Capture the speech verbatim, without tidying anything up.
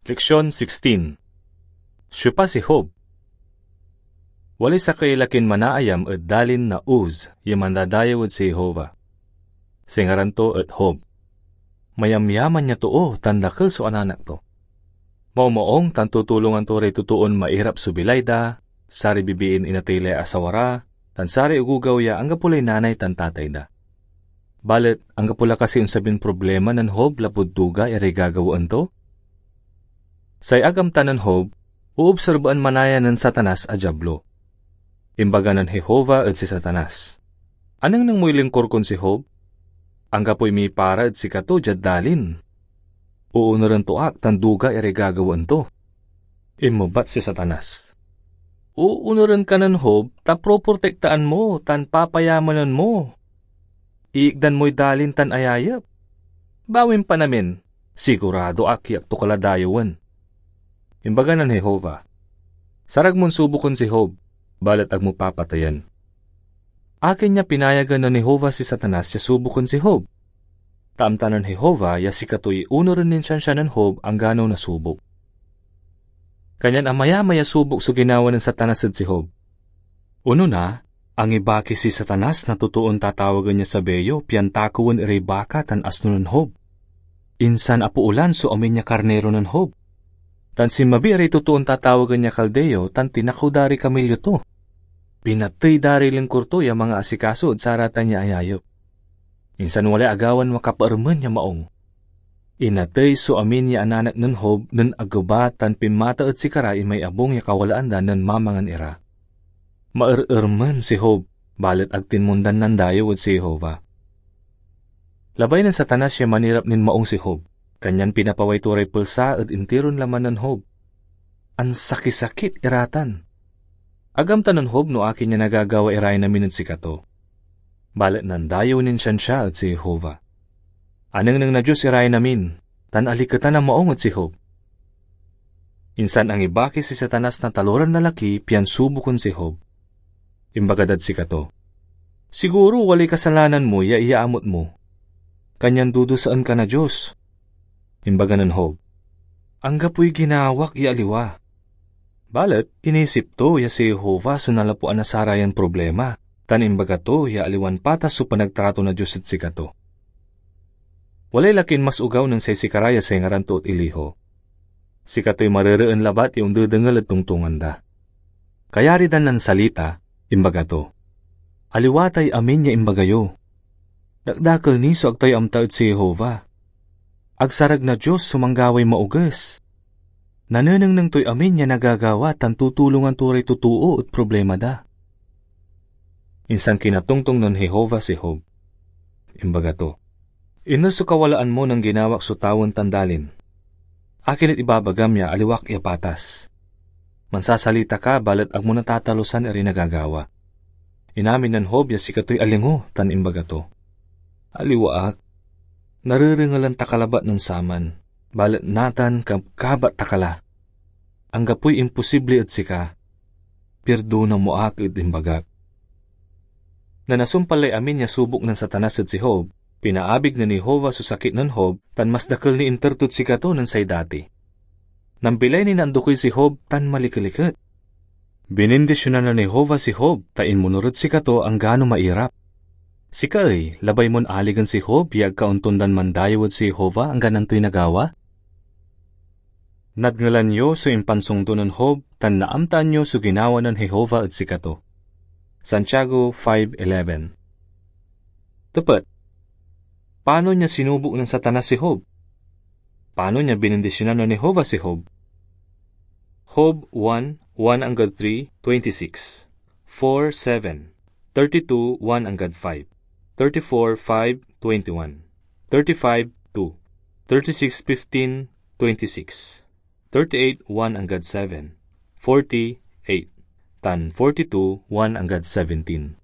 Leksion sixteen. Siopa si Job? Walay sakey lakin manaayam ed dalin na Uz ya mandadayew ed si Jehovah. Singa ran to et Job. Mayamyaman ya too tan dakel so ananak to. Maumaung tan tutulongan to ray totoon mairap so bilay da, saray bibiin inatey lay asawa ra, tan saray ogogaw ya anggapo lay nanay tan tatay da. Balet anggapo la kasi onsabin problema nen Job lapud duga iray gagawaen to? Say ag amta nen Job, oobserbaen manaya nen Satanas a Diablo. Imbaga nen Jehovah ed si Satanas, "Anengneng moy lingkur kon si Job? Anggapoy mipara ed sikato diad dalin. Oonuren to ak tan duga iray gagawaen to." Inmebat si Satanas, "Oonuren ka nen Job ta proprotektaan mo tan papayamanen mo. Iikdan moy dalin tan ayayep. Bawim pan amin, sigurado ak ya ag to ka la dayewen." Imbaga nen Jehovah, "Sarag mon suboken si Job, balet ag mo papateyen." Akin ya pinayagan nen Jehovah si Satanas ya suboken si Job? Ta amta nen Jehovah ya sikatoy onuren nin siansia nen Job anggano nasubok. Kanyan amayamay a subok so ginawa nen Satanas ed si Job. Onona, angibaki si Satanas na totoon tatawagen ya Sabeo pian takewen iray baka tan asno nen Job. Insan apoolan so amin ya karniro nen Job. Tan sinmabi iray totoon tatawagen ya Kaldeo tan tinakew da ray kamelyo to. Pinatey da ray lingkur to ya mangaasikaso ed saratan ya ayayep. Insan walay agawan makapaermen ya maung. Inatey so amin ya ananak nen Job nen ageba tan pinmata ed sikara imay abung ya kawalaan da nen mamangan ira. Maerermen si Job, balet ag tinmondan nandayew ed si Jehovah. Labay nen Satanas ya manirap nin maung si Job, kanyan pinapaway to ray pelsa ed intiron laman nen Job. Ansakisakit ira tan. Ag amta nen Job no akin ya nagagawa irayan amin ed sikato. Balet nandayew nin siansia ed si Jehovah. Anengneng na Dios irayan amin, tan aliketan a maung ed si Job. Insan angibaki si Satanas na taloran lalaki pian suboken si Job. Imbaga dad sikato, "Siguro walay kasalanan mo ya iyaamut mo, kanyan dudusaen ka na Dios." Imbaga nen Job, "Anggapoy ginawak ya aliwa." Balet inisip to ya si Jehovah so nanlapuan na sarayan problema, tan imbaga to ya aliwan patas so panagtrato na Dios ed sikato. Walay lakin mas ogaw nen say sikara ya say ngaran to et Elihu. Sikatoy marereen labat ya ondedengel ed tongtongan da. Kayari dan nansalita, imbaga to, "Aliwa tay amin ya imbaga yo. Dakdakel ni so ag tayo amta ed si Jehovah. Ag sarag na Dios so manggaway maoges. Nanenengneng toy amin ya nagagawa tan tutulongan to ray totoo ed problema da." Insan kinatongtong nen Jehovah si Job. Imbaga to, "Iner so kawalaan mo nen ginawak so tawen tan dalin? Akin et ibabagam ya aliwak ya patas? Mansasalita ka, balet ag mo natatalusan iray nagagawa." Inamin nen Job ya sikatoy alingo tan imbaga to, "Aliwa ak. Narerengelan ta ka labat nen saman, balet natan kabkabat ta ka la. Anggapoy imposible ed sika. Pirdona mo ak ed imbagak." Nen asumpal lay amin ya subok nen Satanas ed si Job, pinaabig nen Jehovah so sakit nen Job tan mas dakel ni inter tod sikato nen say dati. Nambilay ni nandokoy si Job tan malikeliket. Binindisyonan nen Jehovah si Job ta inmunor ed sikato anggano mairap. Sika ey, labay mon aligen si Job ya ag ka ontondan mandayew ed si Jehovah anggan antoy nagawa? Nadngelan yo so impansongdo nen Job tan naamtaan yo so ginawa nen Jehovah ed sikato. Santiago five eleven. Tepet, panon ya sinubok nen Satanas si Job? Panon ya binindisyonan nen Jehovah si Job? Job one, one anggad three, twenty-six, four seven, thirty-two, one anggad five, thirty-four, five, twenty-one, thirty-five, two, thirty-six, fifteen, twenty-six, thirty-eight, one anggad seven, forty-eight, tan forty-two, one anggad seventeen.